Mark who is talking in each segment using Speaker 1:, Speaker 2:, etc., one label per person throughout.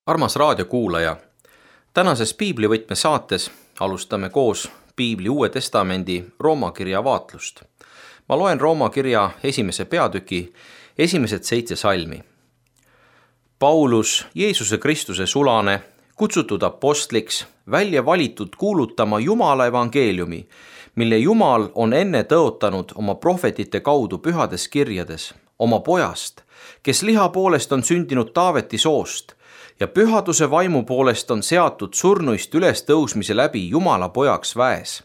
Speaker 1: Armas raadiokuulaja, tänases piiblivõtme saates alustame koos piibli Uue Testamendi Rooma kirja vaatlust. Ma loen Rooma kirja 1. peatüki esimesed 7 salmi. Paulus, Jeesuse Kristuse sulane, kutsutud apostliks, välja valitud kuulutama Jumala evangeeliumi, mille Jumal on enne tõotanud oma prohvetite kaudu pühades kirjades, oma pojast, kes liha poolest on sündinud Taaveti soost ja pühaduse vaimu poolest on seatud surnuist üles tõusmise läbi Jumala pojaks väes,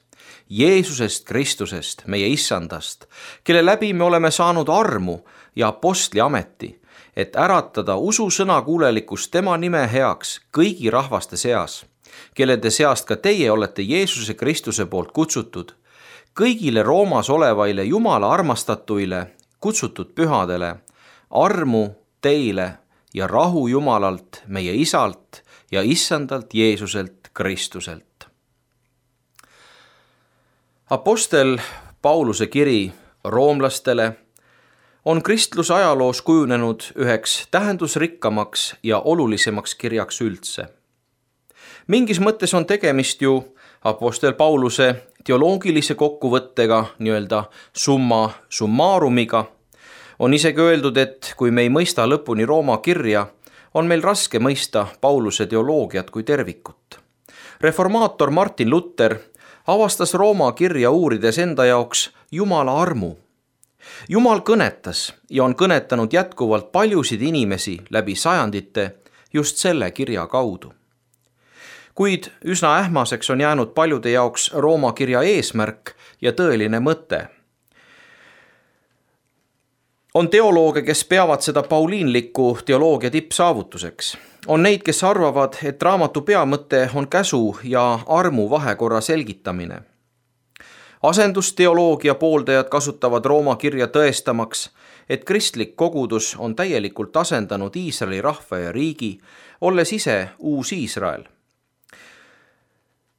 Speaker 1: Jeesusest Kristusest, meie issandast, kelle läbi me oleme saanud armu ja apostli ameti, et äratada ususõna kuulelikkust tema nime heaks kõigi rahvaste seas, kellede seast ka teie olete Jeesuse Kristuse poolt kutsutud, kõigile Roomas olevaile Jumala armastatuile, kutsutud pühadele, armu teile ja rahu Jumalalt, meie isalt ja issandalt Jeesuselt Kristuselt. Apostel Pauluse kiri roomlastele on kristluse ajaloos kujunenud üheks tähendusrikkamaks ja olulisemaks kirjaks üldse. Mingis mõttes on tegemist ju apostel Pauluse teoloogilise kokkuvõttega, nii-öelda summa summarumiga. On isegi öeldud, et kui me ei mõista lõpuni Rooma kirja, on meil raske mõista Pauluse teoloogiat kui tervikut. Reformaator Martin Luther avastas Rooma kirja uurides enda jaoks Jumala armu. Jumal kõnetas ja on kõnetanud jätkuvalt paljusid inimesi läbi sajandite just selle kirja kaudu. Kuid üsna ähmaseks on jäänud paljude jaoks Rooma kirja eesmärk ja tõeline mõte. On teolooge, kes peavad seda pauliinlikku teoloogia tippsaavutuseks. On neid, kes arvavad, et raamatu peamõte on käsu ja armu vahekorra selgitamine. Asendusteoloogia pooldajad kasutavad Rooma kirja tõestamaks, et kristlik kogudus on täielikult asendanud Iisraeli rahva ja riigi, olles ise uus Iisrael.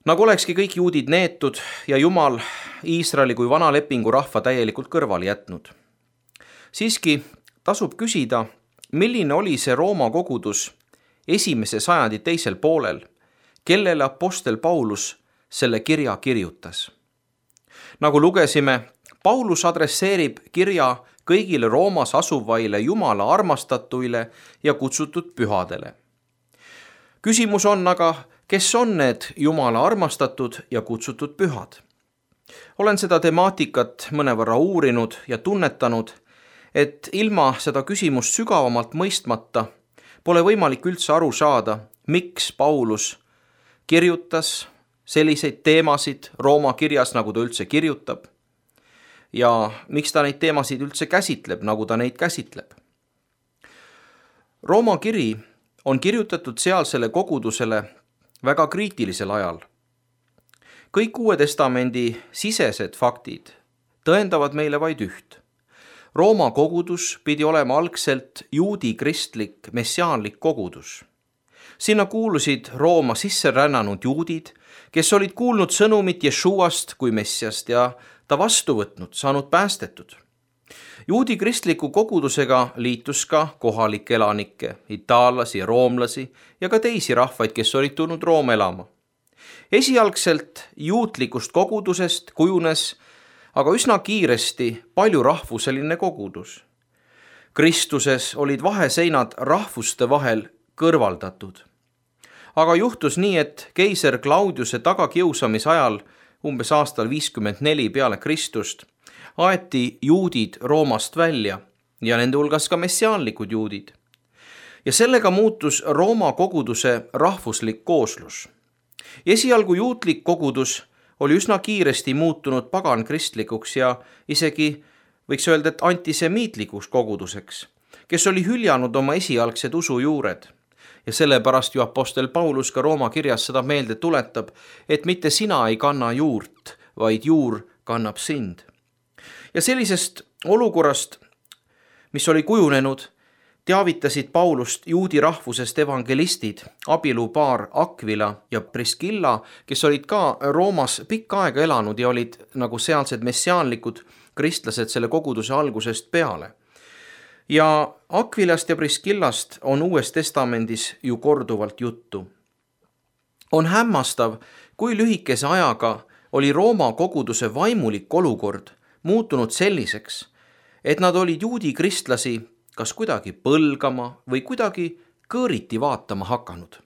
Speaker 1: Nagu olekski kõik juudid neetud ja Jumal Iisraeli kui vana lepingu rahva täielikult kõrvale jätnud. Siiski tasub küsida, milline oli see Rooma kogudus esimese sajandi teisel poolel, kellele apostel Paulus selle kirja kirjutas. Nagu lugesime, Paulus adresseerib kirja kõigile Roomas asuvaile Jumala armastatuile ja kutsutud pühadele. Küsimus on aga, kes on need Jumala armastatud ja kutsutud pühad? Olen seda temaatikat mõnevõrra uurinud ja tunnetanud, et ilma seda küsimust sügavamalt mõistmata pole võimalik üldse aru saada, miks Paulus kirjutas selliseid teemasid Rooma kirjas, nagu ta üldse kirjutab, ja miks ta neid teemasid üldse käsitleb, nagu ta neid käsitleb. Rooma kiri on kirjutatud sealsele kogudusele väga kriitilisel ajal. Kõik Uue Testamendi sisesed faktid tõendavad meile vaid üht. Rooma kogudus pidi olema algselt juudi kristlik messiaanlik kogudus. Sinna kuulusid Rooma sisse rännanud juudid, kes olid kuulnud sõnumit Jeshuast kui messiast ja ta vastu võtnud, saanud päästetud. Juudi kristliku kogudusega liitus ka kohalikke elanikke, itaallasi ja roomlasi ja ka teisi rahvaid, kes olid tulnud Rooma elama. Esialgselt juutlikust kogudusest kujunes aga üsna kiiresti paljurahvuseline kogudus. Kristuses olid vaheseinad rahvuste vahel kõrvaldatud. Aga juhtus nii, et keiser Claudiuse tagakiusamise ajal, umbes aastal 54 peale Kristust, aeti juudid Roomast välja ja nende hulgas ka messiaanlikud juudid. Ja sellega muutus Rooma koguduse rahvuslik kooslus. Esialgu juutlik kogudus oli üsna kiiresti muutunud pagankristlikuks ja isegi võiks öelda, et antisemiitlikuks koguduseks, kes oli hüljanud oma esialgsed usujuured. Ja sellepärast ju apostel Paulus ka Rooma kirjas seda meelde tuletab, et mitte sina ei kanna juurt, vaid juur kannab sind. Ja sellisest olukorrast, mis oli kujunenud, teavitasid Paulust juudi rahvusest evangelistid, abielupaar Aquila ja Priscilla, kes olid ka Roomas pikka aega elanud ja olid nagu sealsed messiaanlikud kristlased selle koguduse algusest peale. Ja Aquilast ja Priskillast on Uues Testamendis ju korduvalt juttu. On hämmastav, kui lühikese ajaga oli Rooma koguduse vaimulik olukord muutunud selliseks, et nad olid juudi kristlasi kas kuidagi põlgama või kuidagi kõõriti vaatama hakanud.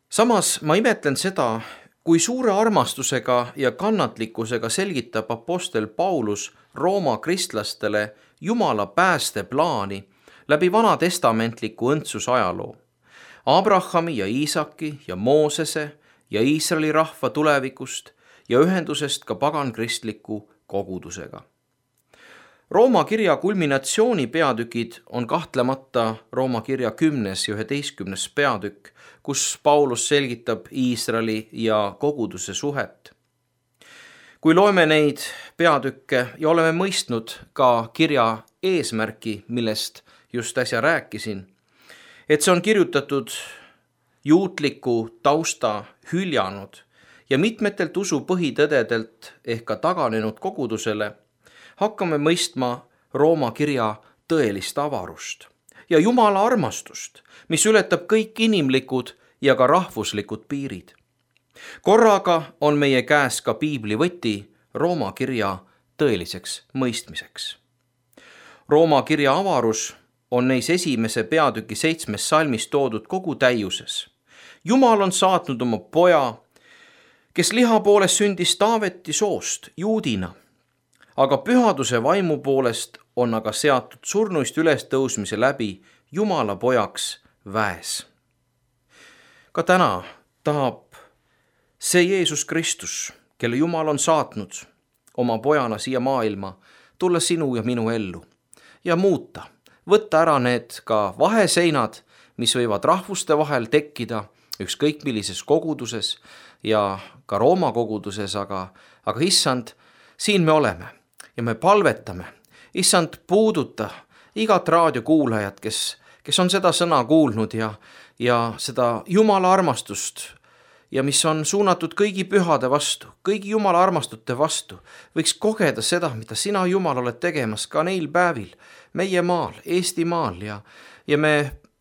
Speaker 1: Samas ma imetlen seda, kui suure armastusega ja kannatlikkusega selgitab apostel Paulus Rooma kristlastele Jumala päästeplaani läbi vanatestamentliku õndsusajaloo, Abrahami ja Iisaki ja Moosese ja Iisraeli rahva tulevikust ja ühendusest ka pagankristliku kogudusega. Rooma kirja kulminatsiooni peatükid on kahtlemata Rooma kirja 10. ja 11. peatükk, kus Paulus selgitab Iisraeli ja koguduse suhet. Kui loeme neid peatükke ja oleme mõistnud ka kirja eesmärki, millest just äsja rääkisin, et see on kirjutatud juutliku tausta hüljanud ja mitmetelt usu põhitõdedelt ehk ka taganenud kogudusele, hakkame mõistma Rooma kirja tõelist avarust ja Jumala armastust, mis ületab kõik inimlikud ja ka rahvuslikud piirid. Korraga on meie käes ka piibli võti Rooma kirja tõeliseks mõistmiseks. Rooma kirja avarus on neis esimese peatüki 7. salmis toodud kogu täiuses. Jumal on saatnud oma poja, kes liha poolest sündis Taaveti soost juudina, aga pühaduse vaimu poolest on aga seatud surnuist ülestõusmise läbi Jumala pojaks väes. Ka täna tahab see Jeesus Kristus, kelle Jumal on saatnud oma pojana siia maailma, tulla sinu ja minu ellu ja muuta, võtta ära need ka vaheseinad, mis võivad rahvuste vahel tekkida ükskõik millises koguduses ja ka Rooma koguduses, aga issand, siin me oleme ja me palvetame, issand, puuduta igat raadiokuulajat, kes on seda sõna kuulnud ja seda Jumala armastust ja mis on suunatud kõigi pühade vastu, kõigi Jumala armastute vastu, võiks kogeda seda, mida sina, Jumal, oled tegemas ka neil päevil meie maal, Eestimaal ja me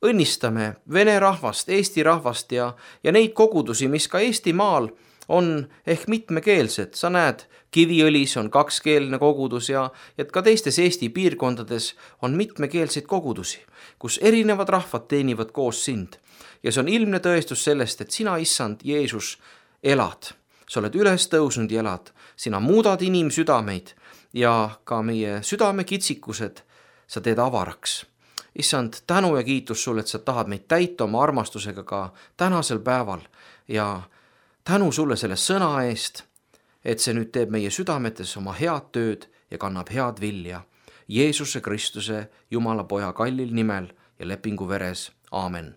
Speaker 1: õnnistame vene rahvast, eesti rahvast ja neid kogudusi, mis ka Eestimaal on ehk mitmekeelsed. Sa näed, Kiviõlis on kakskeelne kogudus ja et ka teistes Eesti piirkondades on mitmekeelseid kogudusi, kus erinevad rahvad teenivad koos sind. Ja see on ilmne tõestus sellest, et sina, issand Jeesus, elad. Sa oled üles tõusnud ja elad. Sina muudad inimsüdameid ja ka meie südamekitsikused sa teed avaraks. Issand, tänu ja kiitus sulle, et sa tahad meid täita oma armastusega ka tänasel päeval ja tänu sulle selle sõna eest, et see nüüd teeb meie südametes oma head tööd ja kannab head vilja. Jeesuse Kristuse, Jumala poja kallil nimel ja lepingu veres. Aamen.